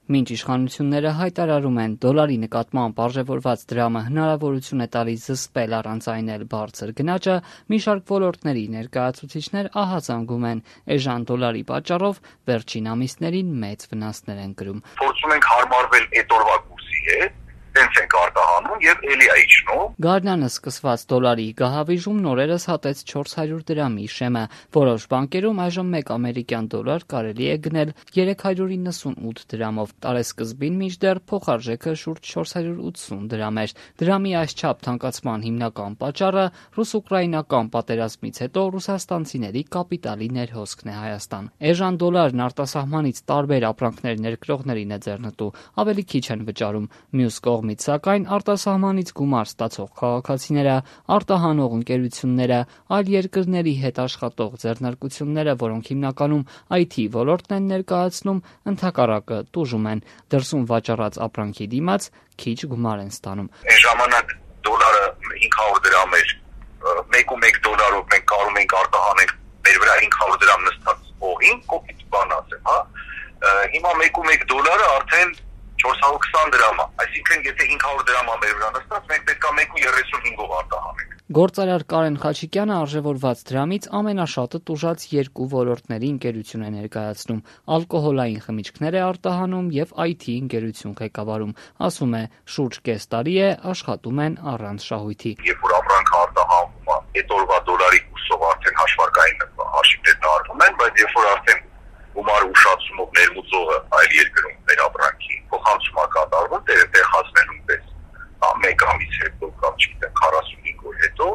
Մինչ իշխանությունները հայտարարում են դոլարի նկատմամբ արժևորված դրամը հնարավորություն է տալիս զսպել առանցայնել բարձր գնաճը, մի շարք ոլորտների ներկայացուցիչներ ահազանգում են էժան դոլարի պատճառով վերջին ամիսներին մեծ վնասներ են կրում։ Փորձում ենք հարմարվել այդ օրվա կուրսի հետ, տենց ենք արտահանում եւ էլի է իջնում։ Գարնանը սկսված դոլարի գահավիժումն օրերս հատեց 400 դրամի շեմը։ Որոշ բանկերում այժմ 1 ամերիկյան դոլար կարելի է գնել 398 դրամով։ Տարեսկզբին մինչդեռ փոխարժեքը շուրջ 480 դրամ էր։ Դրամի այսչափ թանկացման հիմնական պատճառը ռուս-ուկրաինական պատերազմից հետո ռուսաստանցիների կապիտալի ներհոսքն է Հայաստան։ Էժան դոլարն արտասահմանից տարբեր ապրանքներ ներկրողներին է ձեռնտու, ավելի քիչ են վճարում։ Մյուս կողմից, սակայն, արտասահմանից գումար ստացող քաղաքացիները, արտահանող ընկերությունները, այլ երկրների հետ աշխատող ձեռնարկությունները, որոնք հիմնականում IT ոլորտն են ներկայացնում, ընդհակառակը տուժում են, դրսում վաճառած ապրանքի դիմաց քիչ գումար են ստանում։ Այն ժամանակ դոլարը 500 դրամ էր, 1.1 դոլարով մենք կարող ենք արտահանենք մեր վրա 500 դրամ նստած օղին, կոպիտ բան ասեմ, հա։ Հիմա 1.1 դոլարը արդեն 420 դրամ է, այսինքն եթե 500 դրամ է մեր վրա նստած, մենք պետք է 1.35-ով արտահանենք։ Գործարար Կարեն Խաչիկյանը արժևորված դրամից ամենաշատը տուժած երկու ոլորտների ընկերություն է ներկայացնում՝ ալկոհոլային խմիչքներ է արտահանում եւ IT ընկերություն ղեկավարում։ Ասում է, շուրջ կես տարի է աշխատում են առանց շահույթի։ Երբ որ ապրանքը արտահանվում է, այդ օրվա դոլարի կուրսով արդեն հաշվարկային հաշիվներն արվում են, բայց երբ որ արդեն գումարը ուշացումով ներմուծողը այլ երկրում մեր ապրանքի փոխանցում է կատարվում, տեղացնելուն պես մեկ ամիս հետո կամ չգիտեմ 45 օր հետո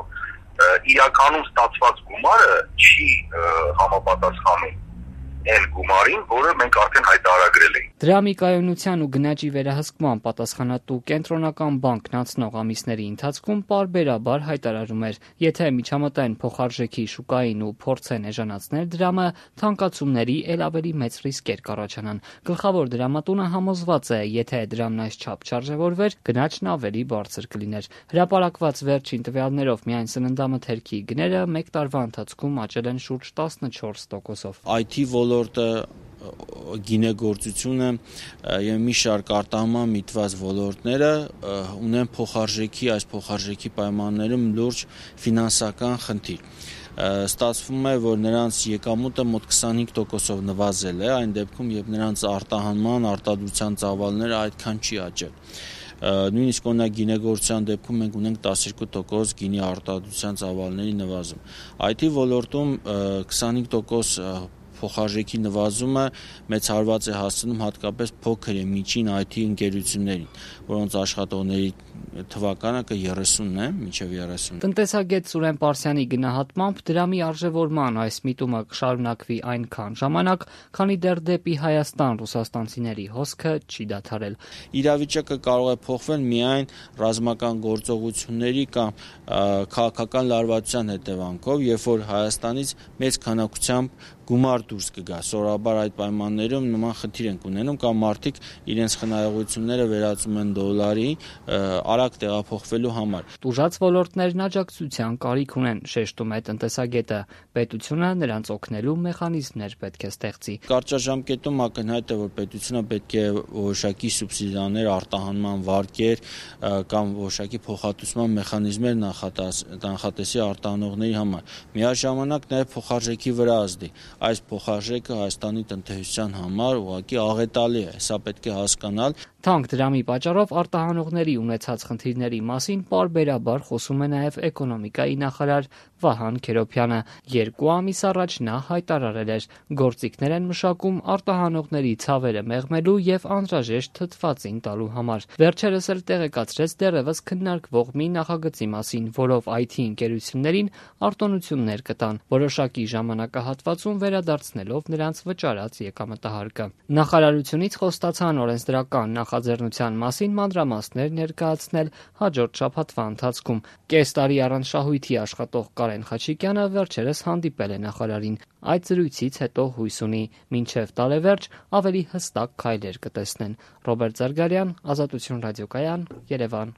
իրականում ստացված գումարը չի համապատասխանում այն գումարին, որը մենք արդեն հայտարարել ենք։ Դրամի կայունության ու գնաճի վերահսկման պատասխանատու կենտրոնական բանկն անցնող ամիսների ընթացքում պարբերաբար հայտարարում էր, եթե միջամտային փոխարժեքի շուկային ու փորձեն էժանացնել դրամը, թանկացումների էլ ավելի մեծ ռիսկեր կառաջանան։ Գլխավոր դրամատունը համոզված է, եթե դրամն այսչափ չարժևորվեր, գնաճն ավելի բարձր կլիներ։ Հրապարակված վերջին տվյալներով միայն սննդամթերքի գները 1 տարվա ընթացքում աճել են շուրջ 14%-ով։ IT ոլորտը, գինեգործությունը եւ մի շարք արտահանման միտված ոլորտները ունեն այս փոխարժեքի պայմաններում լուրջ ֆինանսական խնդիր։ Ստացվում է, որ նրանց եկամուտը մոտ 25%-ով նվազել է, այն դեպքում, երբ նրանց արտադրության ծավալները այդքան չի աճել։ Նույնիսկ օրինակ գինեգործության դեպքում մենք ունենք 12% գինի արտադրության ծավալների նվազում։ IT ոլորտում 25% փոխարժեքի նվազումը մեծ հարված է հասցնում հատկապես փոքր եւ միջին IT ընկերություններին, որոնց աշխատողների թվականը 30-ն է, մինչև 30։ Տնտեսագետ Սուրեն Պարսյանի գնահատմամբ դրամի արժևորման այս միտումը կշարունակվի այնքան ժամանակ, քանի դեռ դեպի Հայաստան ռուսաստանցիների հոսքը չի դադարել։ Իրավիճակը կարող է փոխվել միայն ռազմական գործողությունների կամ քաղաքական լարվածության հետևանքով, երբ որ Հայաստանից մեծ քանակությամբ գումար դուրս կգա։ Սովորաբար այդ պայմաններում նման խնդիր ենք ունենում կամ մարդիկ իրենց խնայողությունները վերածում են դոլարի արագ տեղափոխվելու համար։ Տուժած ոլորտներն աջակցության կարիք ունեն, շեշտում է տնտեսագետը։ Պետությունը նրանց օգնելու մեխանիզմներ պետք է ստեղծի։ Կարճաժամկետում ակնհայտ է, որ պետությունը պետք է որոշակի սուբսիդիաներ, արտահանման վարկեր կամ որոշակի փոխհատուցման մեխանիզմներ նախատեսի արտահանողների համար։ Միաժամանակ նաև փոխարժեքի վրա ազդի։ Այս փոխարժեքը Հայաստանի տնտեսության համար ուղղակի աղետալի է, սա պետք է հասկանալ։ Թանկ դրամի պատճառով արտահանողների ունեցած խնդիրների մասին պարբերաբար խոսում է նաև էկոնոմիկայի նախարար Վահան Քերոբյանը։ 2 ամիս առաջ նա հայտարարել էր, գործիքներ են մշակում արտահանողների ցավերը մեղմելու եւ անհրաժեշտ թթվածին տալու համար։ Վերջերս էլ տեղեկացրեց դեռևս քննարկվող մի նախագծի մասին, որով IT ընկերություններին արտոնություններ կտան, որոշակի ժամանակահատվածում վերադարձնելով նրանց վճարած եկամտահարկը։ Նախարարությունից խոստացան օրենսդրական նախաձեռնության մասին մանրամասներ ներկայացնել հաջորդ շաբաթվա ընթացքում։ Կես տարի առանց շահույթի աշխատող Կարեն Խաչիկյանը վերջերս հանդիպել է նախարարին։ Այդ զրույցից հետո հույս ունի մինչև տարեվերջ ավելի հստակ քայլեր կտեսնեն։ Ռոբերտ Զարգարյան, Ազատություն ռադիոկայան, Երևան։